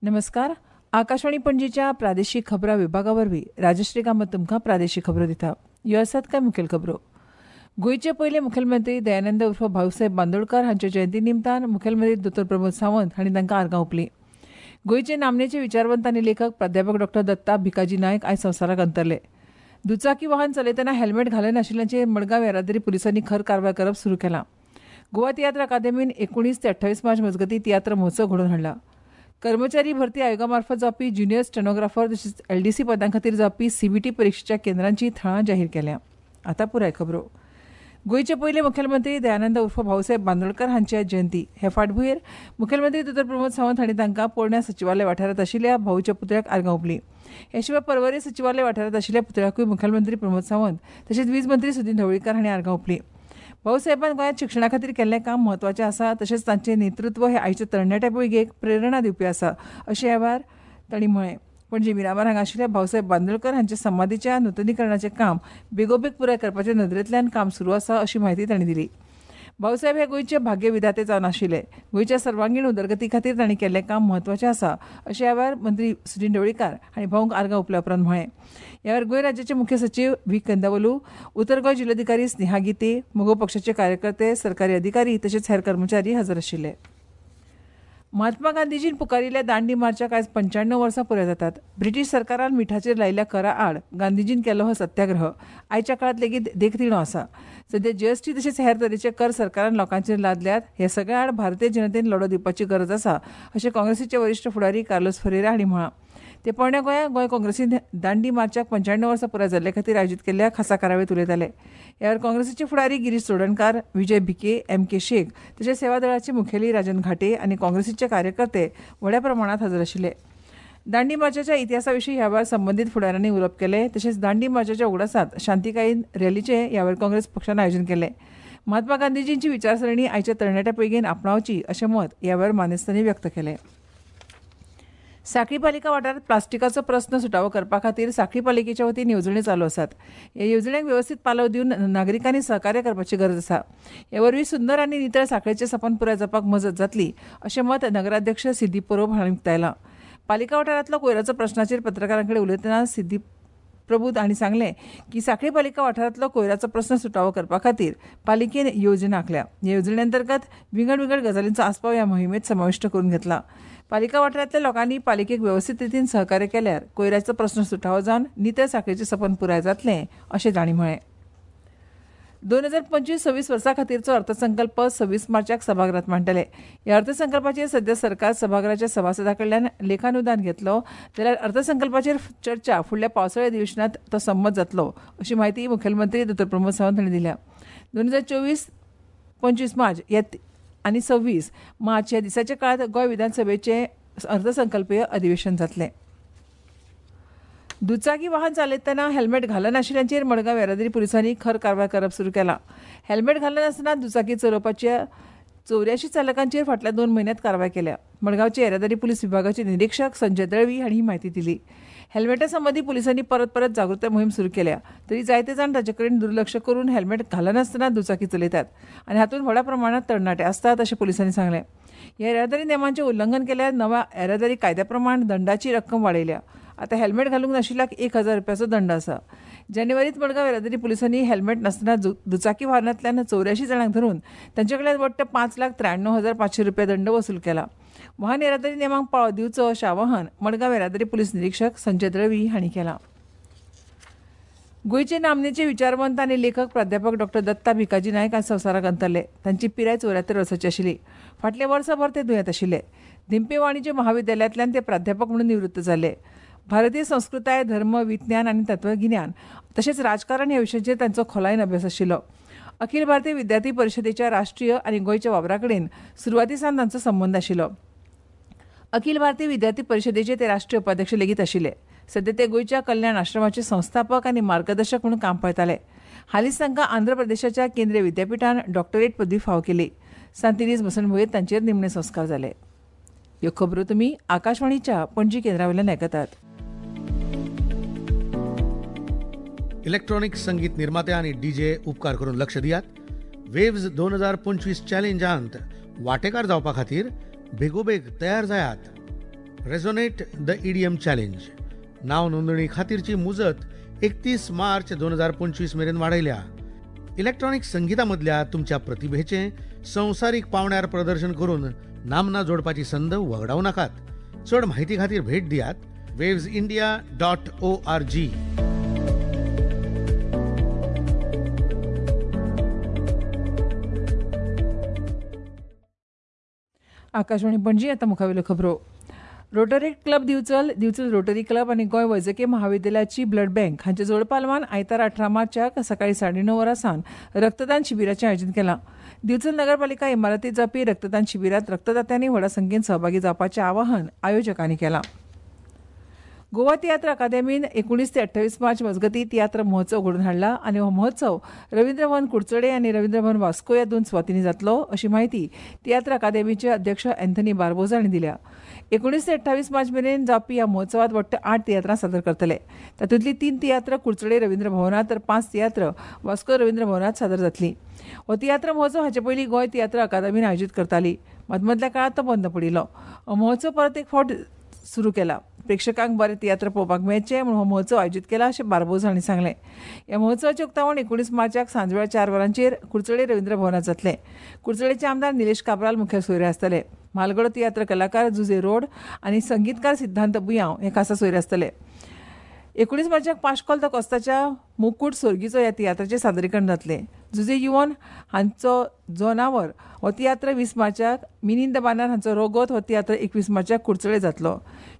नमस्कार. आकाशवाणी पणजीच्या प्रादेशीक खबरां विभागा वरवीं राजश्री कामत तुमकां प्रादेशीक खबरो दिता. ह्यो आसात कांय मुखेल खबरो. गोंयचे पयले मुखेलमंत्री दयानंद उर्फ भाऊसाहेब बांदोडकर हांच्या जयंती निमतान मुखेलमंत्री दोतोर प्रमोद सावंत हांणी तांकां आर्गां ओंपलीं. गोंयचे नामनेचे विचारवंत आनी लेखक प्राध्यापक डॉ दत्ता भिकाजी नायक आयज संवसाराक अंतरले. दुचाकी वाहन चलयतना हेल्मेट घालनाशिल्ल्याचेर मडगांव येरादारी पुलिसांनी खर कारवाय करप सुरू केलां. गोवा तियात्र अकादेमीन 19 ते 28 मार्च मजगतीं तियात्र महोत्सव घडोवन हाडला. कर्मचारी भरती आयोगा मार्फत जावपी ज्युनियर स्टेनोग्राफर तशेंच एलडीसी पदां खातीर जावपी सीबीटी परिक्षेच्या केंद्रांची थळां जाहीर केल्या. आतां पुराय खबरो. गोंयचे पयले मुखेलमंत्री दयानंद उर्फ भाऊसाहेब बांदोडकर हांची आयज जयंती. हे फाटभुंयेर मुखेलमंत्री दोतोर प्रमोद सावंत हांणी तांकां पोरण्या सचिवालय वाठारांत आशिल्ल्या भाऊच्या पुतळ्याक आर्गां ओंपलीं. हे शिवाय पर्वरी सचिवालय वाठारांत आशिल्ल्या पुतळ्याकूय मुखेलमंत्री प्रमोद सावंत तशेंच वीज मंत्री सुदिन ढवळीकार हांणी आर्गां ओंपलीं. भाऊसाहेबान गोंयांत शिक्षणा खातीर केल्लें काम म्हत्वाचें आसा, तशेंच तांचें नेतृत्व हें आयच्या तरणाट्या पिळगेक प्रेरणा दिवपी आसा, अशें ह्या वेळार तांणी म्हळें. पणजी मिरामार हांगा आशिल्ल्या भाऊसाहेब बांदोडकर हांच्या समाधीच्या नुतनीकरणाचें काम बेगोबेग पुराय करपाच्या नदरेंतल्यान काम सुरू आसा, अशी म्हायती तांणी दिली. भाऊसाहेब हे गोंयचे भाग्यविधाते जावन आशिल्ले. गोंयच्या सर्वांगीण उदरगती खातीर तांणी केल्लें काम म्हत्वाचें आसा, अशें ह्या वेळार मंत्री सुदिन ढवळीकार हांणी भाऊंक आर्गां ओंपल्या उपरांत म्हळें. ह्या वेळार गोंय राज्याचे मुख्य सचीव व्ही कंदावलू, उत्तर गोंय जिल्लोधिकारी स्नेहा गीते, मगो पक्षाचे कार्यकर्ते, सरकारी अधिकारी तशेंच हेर कर्मचारी हजर आशिल्ले. महात्मा गांधीजीन पुकारिल्ल्या दांडी मार्चाक आयज 95 वर्सां पुराय जातात. ब्रिटीश सरकारान मिठाचेर लायिल्ल्या करा आड गांधीजीन केल्लो हो सत्याग्रह आयच्या काळांत लेगीत देखदिणो आसा. सद्या जीएसटी तशेंच हेर तरेचे कर सरकारान लोकांचेर लादल्यात. हे सगळ्या आड भारतीय जनतेन लढो दिवपाची गरज आसा, अशें काँग्रेसीचे वरिश्ठ फुडारी कार्लोस फरेरा हांणी म्हळां. ते पोरण्या गोंया गोंय काँग्रेसीन दांडी मार्चाक 95 वर्सां पुराय जाल्ले खातीर आयोजीत केल्ल्या खासा कार्यावळींत उलयताले. ह्या वेळार काँग्रेसीचे फुडारी गिरीश चोडणकार, विजय भिके, एम के शेख तशेंच सेवा दळाचे मुखेली राजन घाटे आनी काँग्रेसीचे कार्यकर्ते व्हड्या प्रमाणांत हजर आशिल्ले. दांडी मार्चाच्या इतिहासा विशीं ह्या वेळार संबंदीत फुडाऱ्यांनी उलोवप केलें. तशेंच दांडी मार्चाच्या उगडासांत शांतिकायेन रॅलीचें ह्या वेळार काँग्रेस पक्षान आयोजन केलें. महात्मा गांधीजींची विचारसरणी आयच्या तरणाट्या पिळगेन आपणावची अशें मत ह्या वेळार मानेस्तांनी व्यक्त केलें. सांखळी पालिका वाठारांत प्लास्टिकाचो प्रस्न सुटावो करपा खातीर सांखळी पालिकेच्या वतीन येवजण्यो चालू आसात. ह्या येवजण्यांक वेवस्थीत पालव दिवन नागरिकांनी सहकार्य करपाची गरज आसा. हे वरवीं सुंदर आनी नितळ सांखळेचें सपन पुराय जावपाक मजत जातली, अशें मत नगराध्यक्ष सिद्धी परब हांणी उक्तायलां. पालिका वाठारांतलो कोयराचो प्रस्नाचेर पत्रकारां कडेन उलयतना सिद्धी प्रभू हांणी सांगलें की सांखळी पालिका वाठारांतलो कोयराचो प्रस्न सुटावो करपा खातीर पालिकेन येवजण आंखल्या. ह्या येवजणे अंतर्गत विंगड विंगड गजालींचो आस्पाव ह्या मोहिमेंत समाविश्ट करून घेतला. पालिका वाठारांतल्या लोकांनी पालिकेक वेवस्थीत रितीन सहकार्य केल्यार कोयराचो प्रस्न सुटावो जावन नितळ सांखळेचें सपन पुराय जातलें, अशें तांणी म्हळें. 2025-26 वर्सां खातीरचो अर्थसंकल्प 26 मार्चाक सभागृहांत मांडटले. ह्या अर्थसंकल्पाचेर सद्या सरकार सभागृहाच्या सभासदां कडल्यान लेखानुदान घेतलो जाल्यार अर्थसंकल्पाचेर चर्चा फुडल्या पावसाळी अधिवेशनांत तो संमत जातलो, अशी म्हायती मुखेलमंत्री दोतोर प्रमोद सावंत हांणी दिल्या. 2024-25 मार्च ह्या आनी 26 मार्च ह्या दिसाच्या काळांत गोंय विधानसभेचें अर्थसंकल्पीय अधिवेशन जातलें. दुचाकी वाहन चालयतना हेल्मेट घालनाशिल्ल्यांचेर मडगांव येरादारी पुलिसांनी खर कारवाय करप सुरू केलां. हेल्मेट घालनासतना दुचाकी चलोवपाच्या 84 चालकांचेर फाटल्या 2 म्हयन्यांत कारवाय केल्या. मडगांवचे येरादारी पुलीस विभागाचे निरीक्षक संजय दळवी हांणी ही म्हायती दिली. हेल्मेटा संबंदी पुलिसांनी परत परत जागृताय मोहीम सुरू केल्या तरी जायते जाण ताचे कडेन दुर्लक्ष करून हेल्मेट घालनासतना दुचाकी चलयतात आनी हातूंत व्हडा प्रमाणांत तरणाटे आसतात, अशें पुलिसांनी सांगलें. ह्या येरादारी नेमांचें उल्लंघन केल्यार नव्या येरादारी कायद्या प्रमाण दंडाची रक्कम वाडयल्या. आतां हेल्मेट घालूंक नाशिल्ल्याक 1000 रुपयाचो दंड आसा. जानेवारीत मडगांव येरादारी पुलिसांनी हेल्मेट नासतना दुचाकी वाहनांतल्यान 84 जाणांक धरून तांचे कडल्यान वट्ट 5,93,500 रुपया दंड वसूल केला. वाहन येरादारी नेमांक पाळो दिवचो अशें आवाहन मडगांव येरादारी पुलीस निरीक्षक संजय दळवी हांणी केलां. गोंयचे नामनेचे विचारवंत आनी लेखक प्राध्यापक डॉ दत्ता भिकाजी नायक आज संवसाराक अंतरले. तांची पिराय 74 वर्सांची आशिल्ली. फाटल्या वर्सभर ते दुयेंत आशिल्ले. धेंपे वाणिज्य महाविद्यालयांतल्यान ते प्राध्यापक म्हणून निवृत्त जाले. भारतीय संस्कृताय, धर्म, विज्ञान आनी तत्वगिन्यान तशेंच राजकारण ह्या विशयांचेर तांचो खोलायेन अभ्यास आशिल्लो. अखिल भारतीय विद्यार्थी परिशदेच्या राष्ट्रीय आनी गोंयच्या वावरा कडेन सुरवाती सावन तांचो संबंद आशिल्लो. अखिल भारतीय विद्यार्थी परिशदेचे ते राष्ट्रीय उपाध्यक्ष लेगीत आशिल्ले. सद्या ते गोंयच्या कल्याण आश्रमाचे संस्थापक आनी मार्गदर्शक म्हणून काम पळयताले. हालींच तांकां आंध्र प्रदेशाच्या केंद्रीय विद्यापिठान डॉक्टरेट पदवी फावो केली. सांतिनेज मसणभुंयेंत तांचेर निमणे संस्कार जाले. ह्यो खबरो तुमी आकाशवाणीच्या पणजी केंद्रा वयल्यान आयकतात. इलेक्ट्रॉनिक संगीत निर्माते आनी डीजे उपकार करून लक्ष दियात. वेव्ज 2025 चॅलेंजांत वांटेकार जावपा खातीर बेगोबेग तयार जायात. Resonate the EDM challenge. नाव नोंदणी खातीरची मुजत 31 मार्च 2025 मेरेन वाडयल्या. इलेक्ट्रॉनिक संगीता मदल्या तुमच्या प्रतिभेचें संवसारीक पावंड्यार प्रदर्शन करून नामना जोडपाची संद वगडावं नाकात. चड म्हायती खातीर भेट दियात wavesindia.org. Akashvani Panaji. आतां मुखावेल्यो खबरो. Rotary club Divchal, Divchal rotary club आनी गोंय वैजकीय महाविद्यालयाची ब्लड बँक हांच्या जोडपालवान आयतार 18 मार्चाक सकाळीं 9:30 वरां सावन रक्तदान शिबिराचें आयोजन केलां. दिवचल नगरपालिका इमारतींत जावपी रक्तदान शिबिरांत रक्तदात्यांनी व्हडा संख्येन सहभागी जावपाचें आवाहन आयोजकांनी केलां. गोवा तियात्र अकादेमीन 19 ते 28 मार्च मजगतीं तियात्र महोत्सव घडोवन हाडला आनी हो महोत्सव रवींद्र भवन कुडचडे आनी रवींद्र भवन वास्को ह्या 2 सुवातींनी जातलो अशी म्हायती तियात्र अकादेमीचे अध्यक्ष अँथनी बार्बोजा हांणी दिल्या. 19 ते 28 मार्च मेरेन जावपी ह्या महोत्सवात वट्ट 8 तियात्रां सादर करतले. तातूंतली 3 तियात्र कुडचडे रवींद्र भवनांत तर 5 तियात्र वास्को रवींद्र भवनांत सादर जातली. हो तियात्र महोत्सव हाचे पयलीं गोंय तियात्र अकादमीन आयोजीत करताली. मदमदल्या काळांत तो बंद पडिल्लो. हो महोत्सव परत एक फावट सुरू केला. प्रेक्षकांक बरे तियात्र पळोवपाक मेळचे म्हूण हो महोत्सव आयोजीत केला अशें बार्बोज हांणी सांगलें. ह्या महोत्सवाचें उक्तावण 19 मार्चाक सांजवेळा 4 वरांचेर कुडचडे रवींद्र भवनांत जातलें. कुडचडेचे आमदार निलेश काब्राल मुखेल सोयरे आसतले. म्हालगडो तियात्र कलाकार जुजे रोड आनी संगीतकार सिद्धांत बुयांव हे खासा सोयरे आसतले. 19 मार्चाक पाश्कोल the कोस्ताच्या मुकूट सोर्गीचो ह्या तियात्राचें सादरीकरण जातलें. जुजे युवन हांचो जोनावर हो तियात्र 20 मार्चाक, मिनिंद बानार हांचो रोगोत हो तियात्र 21 मार्चाक कुडचडे जातलो.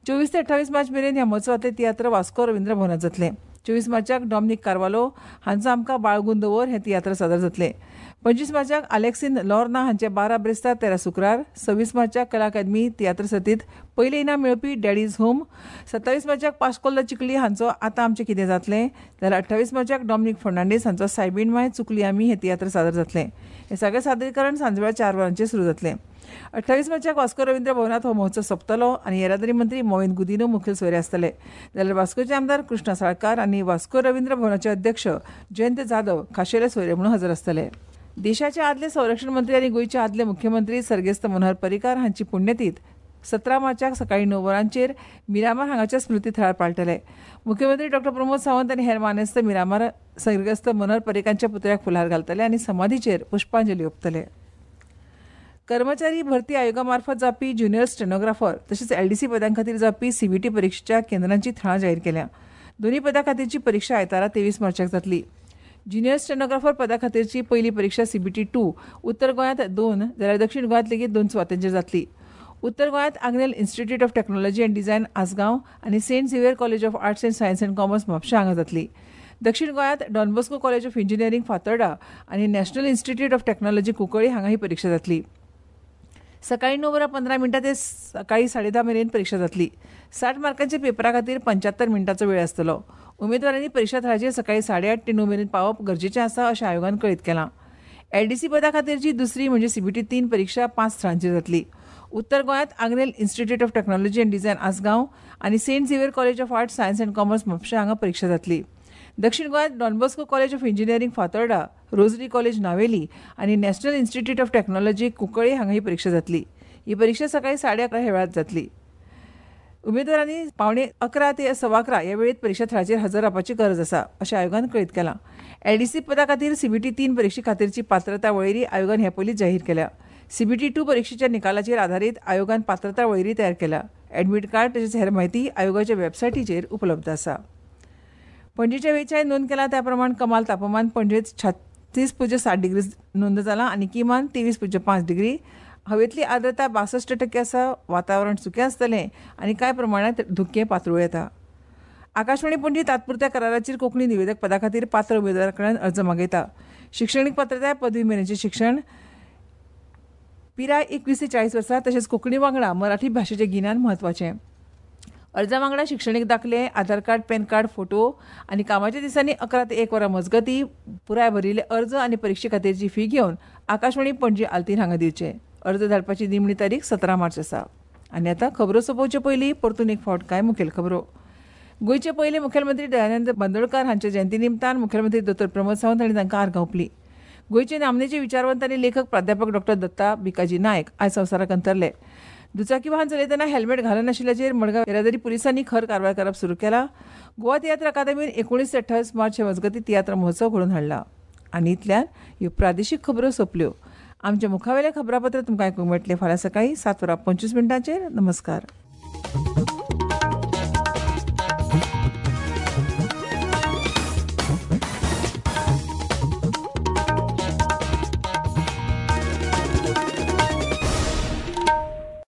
24 ते 28 मार्च मेरेन ह्या महोत्सवांतले तियात्र वास्को रवींद्र भवनांत जातले. 24 मार्चाक डॉमनीक कार्वालो हांचो आमकां बाळगून दवर हें तियात्र सादर जातलें. 25 मार्चाक आलेक्सीन लॉर्ना हांचे 12 ब्रेस्तार 13 सुक्रार, 26 मार्चाक कला अकादमी तियात्र सर्तींत पयलें इनाम मेळोवपी डॅडीज होम, 27 मार्चाक पाश्कोल the Chikhli हांचो आतां आमचें कितें जातलें, जाल्यार 28 मार्चाक डॉमनीक फर्नांडीस हांचो सायबीण माय चुकली आमी हें तियात्र सादर जातलें. हें सगळें सादरीकरण सांजवेळा 4 वरांचेर सुरू जातलें. 28 मार्चाक वास्को रवींद्र भवनांत हो महोत्सव सोंपतलो आनी येरादारी मंत्री मोविन गुदिन्हो मुखेल सोयरे आसतले. जाल्यार वास्कोचे आमदार कृष्णा साळकार आनी वास्को रवींद्र भवनाचे अध्यक्ष जयंत जाधव खाशेले सोयरे म्हणून हजर आसतले. देशाचे आदले संरक्षण मंत्री आनी गोंयचे आदले मुख्यमंत्री सर्गेस्त मनोहर पर्रीकार हांची पुण्यतीथ 17 मार्चाक सकाळीं 9 वरांचेर मिरामार हांगाच्या स्मृती थळार पाळटले. मुख्यमंत्री डॉ प्रमोद सावंत आनी हेर मानेस्त मिरामार सर्गेस्त मनोहर पर्रीकारांच्या पुतळ्याक फुलार घालतले आनी समाधीचेर पुष्पांजली ओंपतले. कर्मचारी भरती आयोगा मार्फत जावपी ज्युनियर स्टेनोग्राफर तशेंच एलडीसी पदां खातीर जावपी सीबीटी परिक्षेच्या केंद्रांची थळां जाहीर केल्या. दोनूय पदां खातीरची परिक्षा आयतारा 23 मार्चाक जातली. ज्युनियर स्टेनोग्राफर पदा खातीरची पयली परिक्षा सीबीटी 2 उत्तर गोंयांत 2 जाल्यार दक्षिण गोंयांत लेगीत 2 सुवातांचेर जातली. उत्तर गोंयांत Agnel institute of technology and design Assagao आनी Saint Xavier college of arts and science and commerce Mapusa हांगा जातली. दक्षिण गोंयांत Don Bosco college of engineering Fatorda आनी national institute of technology Cuncolim हांगा ही परिक्षा जातली. सकाळीं 9:15 ते सकाळीं 10:30 मेरेन परिक्षा जातली. 60 मार्कांच्या पेपरा खातीर 75 मिनटांचो वेळ आसतलो. उमेदवारांनी परिक्षा थळाचेर सकाळीं 8:30 ते 9 मेरेन पावप गरजेचें आसा अशें आयोगान कळीत केलां. एलडीसी पदा खातीरची दुसरी म्हणजे सीबीटी 3 परिक्षा 5 थळांचेर जातली. उत्तर गोंयांत Agnel institute of technology and design Assagao आनी Saint Xavier college of arts science and commerce Mapusa हांगा परिक्षा जातली. दक्षिण गोंयांत Don Bosco college of engineering Fatorda, Rosary college Navelim आनी national institute of technology Cuncolim हांगा ही परिक्षा जातली. ही परिक्षा सकाळीं 11:30 ह्या वेळार जातली. उमेदवारांनी 10:45 ते 11:15 ह्या वेळेत परिक्षा थळाचेर हजर रावपाची गरज आसा अशें आयोगान कळीत केलां. एलडीसी पदा खातीर सीबीटी 3 परिक्षे खातीरची पात्रता वळेरी आयोगान हे पयलींच जाहीर केल्या. सीबीटी 2 परिक्षेच्या निकालाचेर आधारीत आयोगान पात्रता वळेरी तयार केल्या. ॲडमिट कार्ड तशेंच हेर म्हायती आयोगाच्या वेबसायटीचेर उपलब्ध आसा. पणजेच्या वेळच्याय नोंद केला त्या प्रमाण कमाल तापमान पणजेत 36.7 डिग्री नोंद जाला आनी किमान 23.5 डिग्री. हवेतली आर्द्रता 62% आसा. वातावरण सुकें आसतलें आनी कांय प्रमाणांत धुकें पातळूं येता. आकाशवाणी पणजी तात्पुरत्या कराराचेर कोंकणी निवेदक पदा खातीर पात्र उमेदवारा कडल्यान अर्ज मागयता. शिक्षणीक पात्रताय पदवी मेरेनचें शिक्षण, पिराय 21 ते 40 वर्सां, तशेंच कोंकणी वांगडा मराठी भाशेचें गिन्यान म्हत्वाचें. अर्जा वांगडा शिक्षणीक दाखले, Aadhaar card, PAN card, photo आनी कामाच्या दिसांनी 11 ते 1 वरां मजगतीं पुराय भरिल्ले अर्ज आनी परिक्षे खातीरची फी घेवन आकाशवाणी पणजी आल्तीन हांगा दिवचे. अर्ज धाडपाची निमणी तारीख 17 मार्च आसा. आनी आतां खबरो सोंपोवचे पयलीं परतून एक फावट कांय मुखेल खबरो. गोंयचे पयले मुखेलमंत्री दयानंद बांदोडकार हांच्या जयंती निमतान मुखेलमंत्री दोतोर प्रमोद सावंत हांणी तांकां आर्गां ओंपलीं. गोंयचे नामनेचे विचारवंत आनी लेखक प्राध्यापक डॉ दत्ता भिकाजी नायक आयज संवसाराक अंतरले. दुचाकी वाहन चलयतना हेल्मेट घालनाशिल्ल्याचेर मडगांव येरादारी पुलिसांनी खर कारवाय करप सुरू केला. गोवा तियात्र अकादमीन 19 ते 28 मार्च हे मजगतीं तियात्र महोत्सव घडोवन हाडला. आनी इतल्यान ह्यो प्रादेशीक खबरो सोंपल्यो. आमच्या मुखावेलें खबरापत्र तुमकां आयकूंक मेळटलें फाल्यां सकाळीं 7:25. नमस्कार.